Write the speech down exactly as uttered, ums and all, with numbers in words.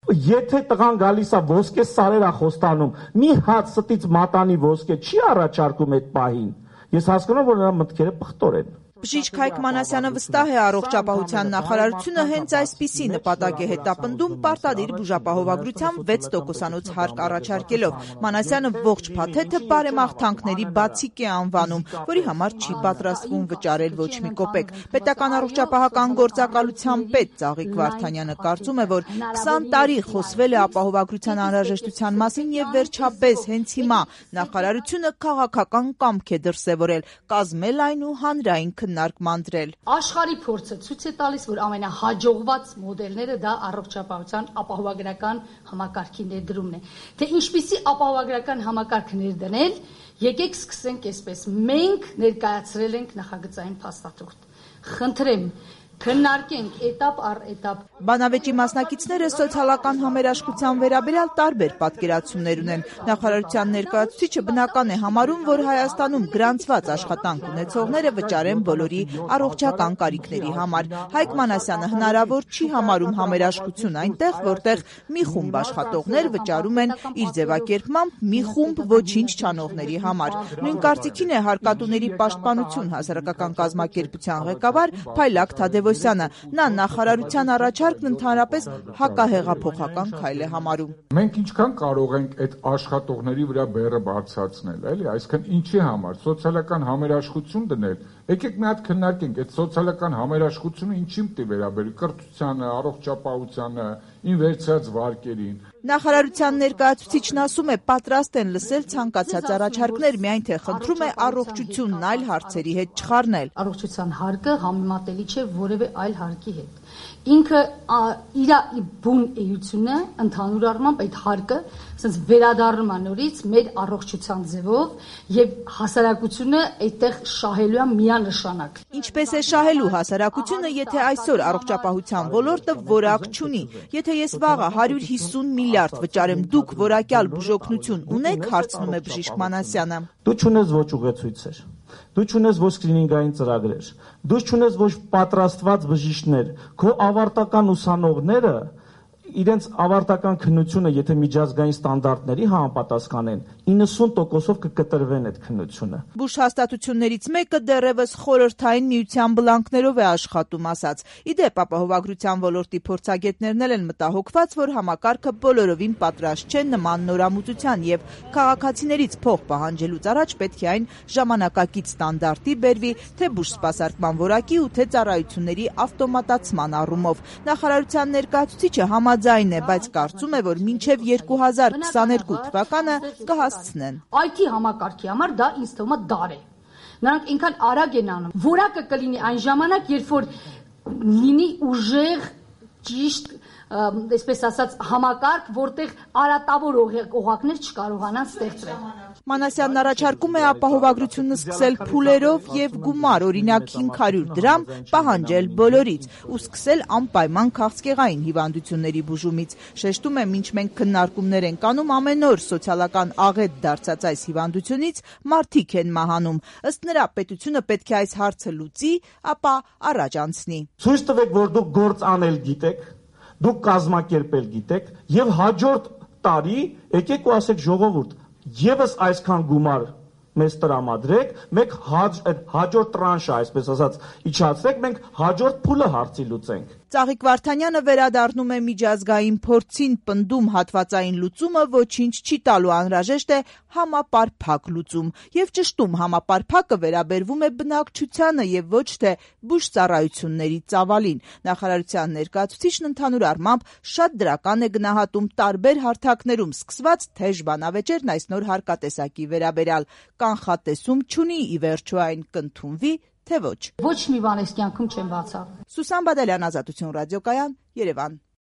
Եթե տղան գալիս է ոսկե սարերա խոստանում, մի հատ ստից մատանի ոսկե չի առաջարկում այդ պահին։ Ես հասկանում որ նրա մտքերը պղտոր են։ Բժիշկ Հայկ Մանասյանը վստահ է առողջապահության նախարարությունը հենց այսպիսի նպատակ է հետապնդում պարտադիր բուժապահովագրության վեց տոկոսանոց հարկ առաջարկելով։ Մանասյանը ողջ փաթեթը բարեմաղթանքների բացիկ է անվանում, որի համար չի պատրաստվում վճարել ոչ մի կոպեկ։ Պետական առողջապահական գործակալության պետ Ծաղիկ Վարդանյանը կարծում է, որ քսան տարի խոսվել է ապահովագրության անհրաժեշտության մասին եւ վերջապես հենց հիմա նախարարությունը քաղաքական կամք է դրսեւորել, կազմել այն ու հանրային քննարկման դրել։ Աշխարհի փորձը ցույց է տալիս, որ ամենահաջողված մոդելները դա առողջապահության ապահովագրական համակարգի ներդրումն է։ Թե ինչպիսի ապահովագրական համակարգ ներդնել, եկեք սկսենք այսպես։ Մենք ներկայացրել ենք նախագծային փաստաթուղթ։ Խնդրեմ քննարկենք этап առ этап։ Բանավեճի մասնակիցները սոցիալական համերաշխության վերաբերյալ տարբեր պատկերացումներ ունեն։ Նախարարության ներկայացուցիչը բնական է համարում, որ Հայաստանում գրանցված աշխատանք ունեցողները վճարեն բոլորի առողջական կարիքների համար։ Հայկ Մանասյանը հնարավոր չի համարում համերաշխություն այնտեղ, որտեղ մի խումբ աշխատողներ վճարում են իր ձևակերպմամբ մի խումբ ոչինչ չանողների համար։ Նույն կարծիքին է Հարկատուների պաշտպանություն հասարակական կազմակերպության ղեկավար Փայլակ Թադևոսյանը։ Նա նախարարության առաջարկն ընդհանրապես հակահեղափոխական քայլ է համարում։ Մենք ինչքան կարող ենք այդ աշխատողների վրա բեռը բարձրացնել, էլի, այսինքն ինչի համար սոցիալական համերաշխություն դնել։ Եկեք մի հատ քննարկենք այդ սոցիալական համերաշխությունը ինչին պիտի վերաբերի կրթությանը, առողջապահությանը, ին վերցրած վարկերին։ Նախարարության ներկայացուցիչն ասում է, պատրաստ են լսել ցանկացած առաջարկներ, միայն թե խնդրում է առողջությունն այլ հարցերի հետ չխառնել։ Առողջության հարկը համեմատելի չէ որևէ այլ հարկի հետ։ Ինքը իր բուն էությունը ընդհանուր առմամբ այդ հարկը ասենց վերադառնում է նորից մեր առողջության ձևով եւ հասարակությունը այդտեղ շահելու է միանշանակ։ Ինչպես է շահելու հասարակությունը, եթե այսօր առողջապահության ոլորտը որակ չունի։ Եթե ես վաղը հարյուր հիսուն միլիարդ վճարեմ, դուք որակյալ բուժօգնություն ունեք, հարցնում է բժիշկ Մանասյանը։ Դու չունես ոչ ուղեցույցեր, դու չունես ոչ սկրինինգային ծրագրեր, դու չունես ոչ պատրաստված բժիշկներ, քո ավարտական ուսանողները իրենց ավարտական քննությունը, եթե միջազգային ստանդարտների համապատասխանեն, իննսուն տոկոսով կկտրվեն այդ քննությունը։ Բուժհաստատություններից մեկը դեռևս խորհրդային միության բլանկներով է աշխատում, ասաց։ Իդեպ ապահովագրության ոլորտի փորձագետներն են մտահոգված, որ համակարգը բոլորովին պատրաստ չէ նման նորամուծության եւ քաղաքացիներից փող պահանջելուց առաջ պետք է այն ժամանակակից ստանդարտի բերվի, թե բուժսպասարկման որակի ու թե ծառայությունների ավտոմատացման առումով։ Նախարարության ներկայացուցիչը համաձայն Ձայն է, բայց կարծում է, որ մինչև երկու հազար քսաներկու թվականը կհասցնեն։ Այ թի համակարգի համար դա ինձ թվում է դար է։ Նրանք ինքան արագ են անում։ Որակը կլինի այն ժամանակ, երբ որ լինի ուժեղ, ճիշտ, այսպես ասած, համակարգ, որտեղ արատավոր օղակներ չկարողանան ստեղծվել։ Մանասյանն առաջարկում է ապահովագրությունը սկսել փուլերով եւ գումար, օրինակ հինգ հարյուր դրամ պահանջել բոլորից ու սկսել անպայման քաղցկեղային հիվանդությունների բուժումից։ Շեշտում է, մինչ մենք քննարկումներ ենք անում, ամեն օր սոցիալական աղետ դարձած այս հիվանդությունից մարդիկ են մահանում։ Ըստ նրա, պետությունը պետք է այս հարցը լուծի, ապա առաջ անցնի։ Ցույց տվեք, որ դուք գործ անել գիտեք, դուք կազմակերպել գիտեք եւ հաջորդ տարի եկեք ու ասեք ժողովուրդ Եվս այսքան գումար մեզ տրամադրեք, մենք հաջորդ տրանշը, այսպես ասած, իջացրեք, մենք հաջորդ փուլը հարցի լուծենք։ Ծաղիկ Վարդանյանը վերադառնում է միջազգային փորձին, պնդում հատվածային լուծումը ոչինչ չի տալու, անհրաժեշտ է համապարփակ լուծում եւ ճշտում համապարփակը վերաբերվում է բնակչությանը եւ ոչ թե բուժծառայությունների ծավալին։ Նախարարության ներկայացուցիչն ընդհանուր առմամբ շատ դրական է գնահատում տարբեր հարթակներում սկսված թեժ բանավեճերն այս նոր հարկատեսակի վերաբերյալ։ Կանխատեսում չունի, ի վերջո այն կընդունվի, թե ոչ։ Ոչ մի բան այս կյանքում չեմ բացառում։ Սուսան Բադալյան, Ազատություն ռադիոկայան, Երևան։